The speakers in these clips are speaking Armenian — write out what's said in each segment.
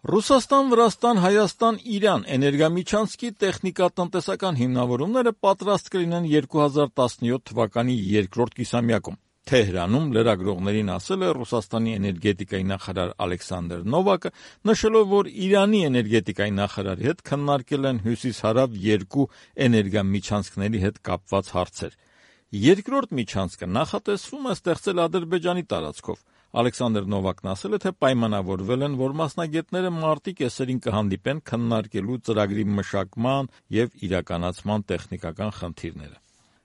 Ռուսաստան, Վրաստան, Հայաստան, Իրան էներգամիջանցքի տեխնիկատնտեսական հիմնավորումները պատրաստ կլինեն 2017 թվականի երկրորդ կիսամյակում։ Թեհրանում լրագրողներին ասել է Ռուսաստանի էներգետիկայի նախարար Ալեքսանդր Նովակը, նշելով, որ Իրանի էներգետիկայի նախարարի հետ քննարկել են հյուսիս-հարավ երկու էներգամիջանցքների հետ կապված հարցեր։ Երկրորդ միջանցքը նախատեսվում է ստեղծել Ադրբեջանի տարածքով։ Ալեքսանդր Նովակն ասել է, թե պայմանավորվել են, որ մասնագետները մարտի կեսերին կհանդիպեն քննարկելու ծրագրի մշակման և իրականացման տեխնիկական խնդիրները։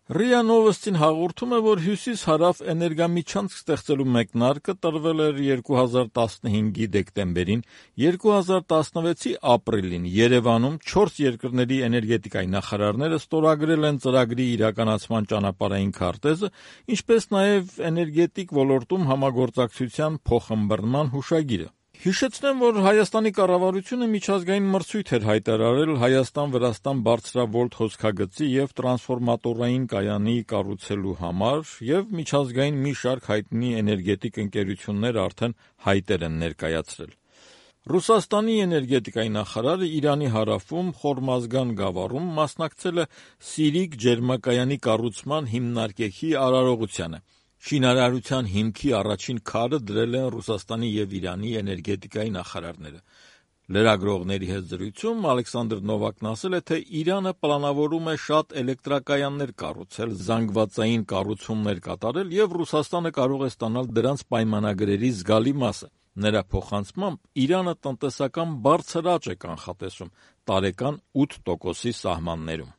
ՌԻԱ Նովոստին հաղորդում է, որ հյուսիս-հարավ էներգամիջանցք ստեղծելու մեկնարկը տրվել էր 2015-ի դեկտեմբերին, 2016-ի ապրիլին Երևանում 4 երկրների էներգետիկայի նախարարները ստորագրել են ծրագրի իրականացման ճանապարհային քարտեզը, ինչպես նաև էներգետիկ ոլորտում համագործակցության փոխըմբռնման հուշագիրը։ Հիշեցնեմ, որ Հայաստանի կառավարությունը միջազգային մրցույթ էր հայտարարել Հայաստան-Վրաստան բարձրավոլտ հոսքագծի և տրանսֆորմատորային կայանի կառուցելու համար, և միջազգային մի շարք հայտնի էներգետիկ ընկերություններ արդեն հայտեր են ներկայացրել։ Ռուսաստանի էներգետիկայի նախարարը Իրանի հարավում Խորմազգան գավառում մասնակցել է Սիրիկ ջերմակայանի կառուցման հիմնարկեքի արարողությանը։ Շինարարության հիմքի առաջին քարը դրել են Ռուսաստանի և Իրանի էներգետիկայի նախարարները։ Լրագրողների հետ զրույցում Ալեքսանդր Նովակն ասել է, թե Իրանը պլանավորում է շատ էլեկտրակայաններ կառուցել, զանգվածային կառուցումներ կատարել և Ռուսաստանը կարող է ստանալ դրանց պայմանագրերի զգալի մասը։ Նրա փոխանցմամբ Իրանը տնտեսական բարձր աճ է կանխատեսում՝ տարեկան 8%-ի սահմաններում։